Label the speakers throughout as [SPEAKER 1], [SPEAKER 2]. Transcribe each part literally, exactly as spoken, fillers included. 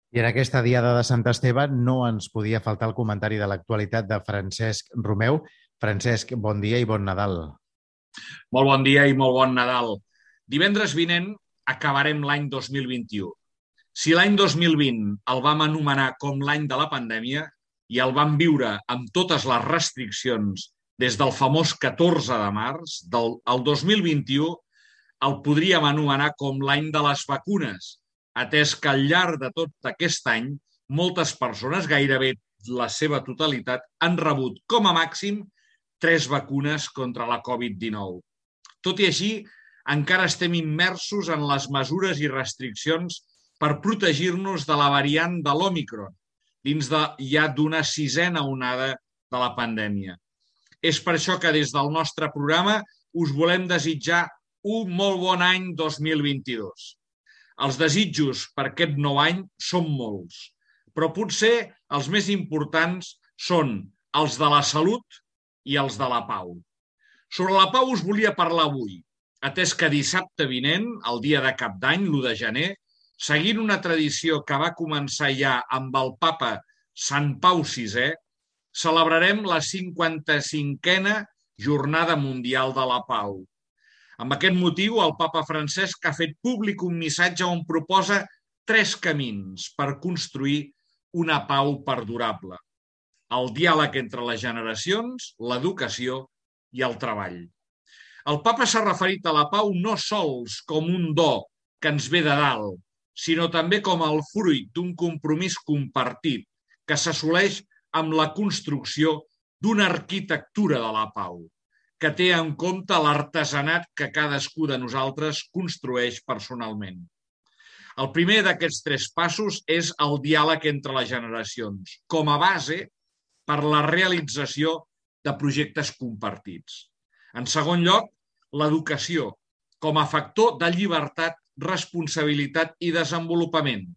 [SPEAKER 1] I en aquesta diada de Sant Esteve no ens podia faltar el comentari de l'actualitat de Francesc Romeu. Francesc, bon dia i bon Nadal.
[SPEAKER 2] Molt bon dia i molt bon Nadal. Divendres vinent acabarem l'any dos mil vint-i-u. Si l'any dos mil vint el vam anomenar com l'any de la pandèmia i el vam viure amb totes les restriccions des del famós catorze de març, del el dos mil vint-i-u el podríem anomenar com l'any de les vacunes, atès que al llarg de tot aquest any moltes persones, gairebé la seva totalitat, han rebut com a màxim tres vacunes contra la covid dinou. Tot i així, encara estem immersos en les mesures i restriccions per protegir-nos de la variant de l'Òmicron, dins de ja d'una sisena onada de la pandèmia. És per això que des del nostre programa us volem desitjar un molt bon any dos mil vint-i-dos. Els desitjos per aquest nou any són molts, però potser els més importants són els de la salut i els de la pau. Sobre la pau us volia parlar avui, atès que dissabte vinent, el dia de Cap d'Any, l'u de gener, seguint una tradició que va començar ja amb el papa Sant Pau sisè, celebrarem la cinquanta-cinquena Jornada Mundial de la Pau. Amb aquest motiu, el papa Francesc ha fet públic un missatge on proposa tres camins per construir una pau perdurable: el diàleg entre les generacions, l'educació i el treball. El papa s'ha referit a la pau no sols com un do que ens ve de dalt, sinó també com el fruit d'un compromís compartit que s'assoleix amb la construcció d'una arquitectura de la pau, que té en compte l'artesanat que cadascú de nosaltres construeix personalment. El primer d'aquests tres passos és el diàleg entre les generacions, com a base per la realització de projectes compartits. En segon lloc, l'educació, com a factor de llibertat, responsabilitat i desenvolupament.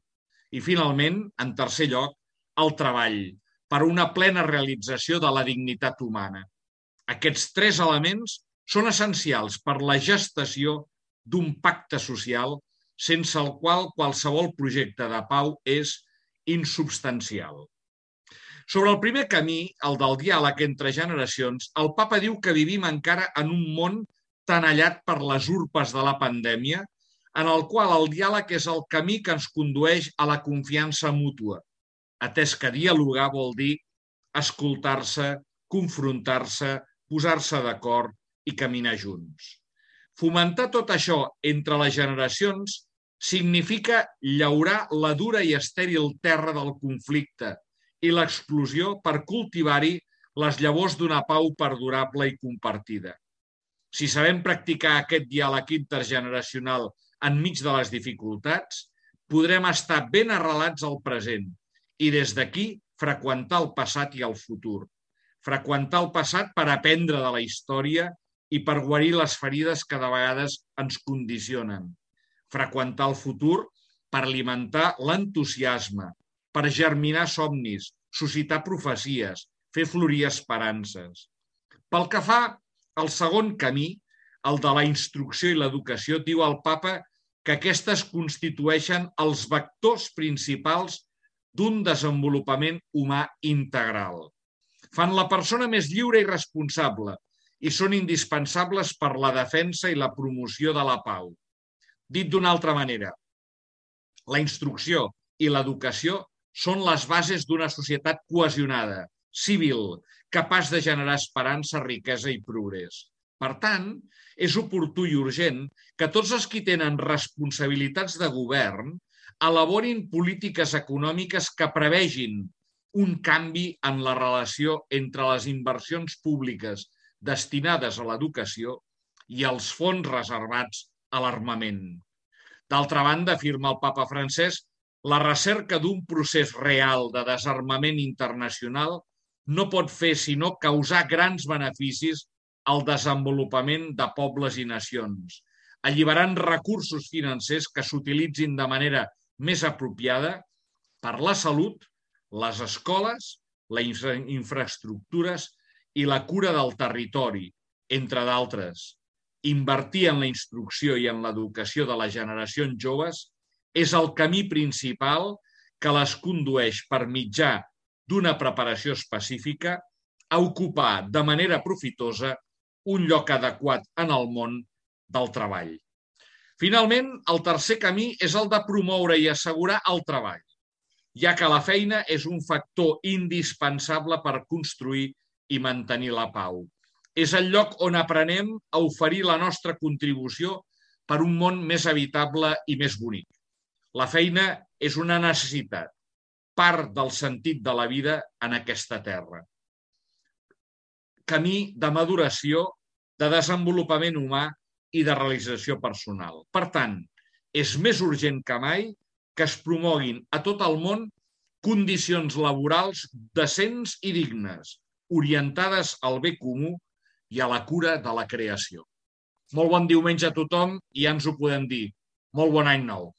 [SPEAKER 2] I, finalment, en tercer lloc, el treball, per una plena realització de la dignitat humana. Aquests tres elements són essencials per la gestació d'un pacte social sense el qual qualsevol projecte de pau és insubstancial. Sobre el primer camí, el del diàleg entre generacions, el papa diu que vivim encara en un món tenallat per les urpes de la pandèmia, en el qual el diàleg és el camí que ens condueix a la confiança mútua, atès que dialogar vol dir escoltar-se, confrontar-se, posar-se d'acord i caminar junts. Fomentar tot això entre les generacions significa llaurar la dura i estèril terra del conflicte i l'explosió per cultivar-hi les llavors d'una pau perdurable i compartida. Si sabem practicar aquest diàleg intergeneracional enmig de les dificultats, podrem estar ben arrelats al present i des d'aquí freqüentar el passat i el futur. Freqüentar el passat per aprendre de la història i per guarir les ferides que de vegades ens condicionen. Freqüentar el futur per alimentar l'entusiasme, per germinar somnis, suscitar profecies, fer florir esperances. Pel que fa al segon camí, el de la instrucció i l'educació, diu el papa que aquestes constitueixen els vectors principals d'un desenvolupament humà integral. Fan la persona més lliure i responsable i són indispensables per la defensa i la promoció de la pau. Dit d'una altra manera, la instrucció i l'educació són les bases d'una societat cohesionada, civil, capaç de generar esperança, riquesa i progrés. Per tant, és oportú i urgent que tots els qui tenen responsabilitats de govern elaborin polítiques econòmiques que prevegin un canvi en la relació entre les inversions públiques destinades a l'educació i els fons reservats a l'armament. D'altra banda, afirma el papa Francesc, la recerca d'un procés real de desarmament internacional no pot fer sinó causar grans beneficis al desenvolupament de pobles i nacions, alliberant recursos financers que s'utilitzin de manera més apropiada per la salut, les escoles, les infraestructures i la cura del territori, entre d'altres. Invertir en la instrucció i en l'educació de les generacions joves és el camí principal que les condueix per mitjà d'una preparació específica a ocupar de manera profitosa un lloc adequat en el món del treball. Finalment, el tercer camí és el de promoure i assegurar el treball, ja que la feina és un factor indispensable per construir i mantenir la pau. És el lloc on aprenem a oferir la nostra contribució per un món més habitable i més bonic. La feina és una necessitat, part del sentit de la vida en aquesta terra. Camí de maduració, de desenvolupament humà i de realització personal. Per tant, és més urgent que mai que es promoguin a tot el món condicions laborals decents i dignes, orientades al bé comú i a la cura de la creació. Molt bon diumenge a tothom i ja ens ho podem dir. Molt bon any nou.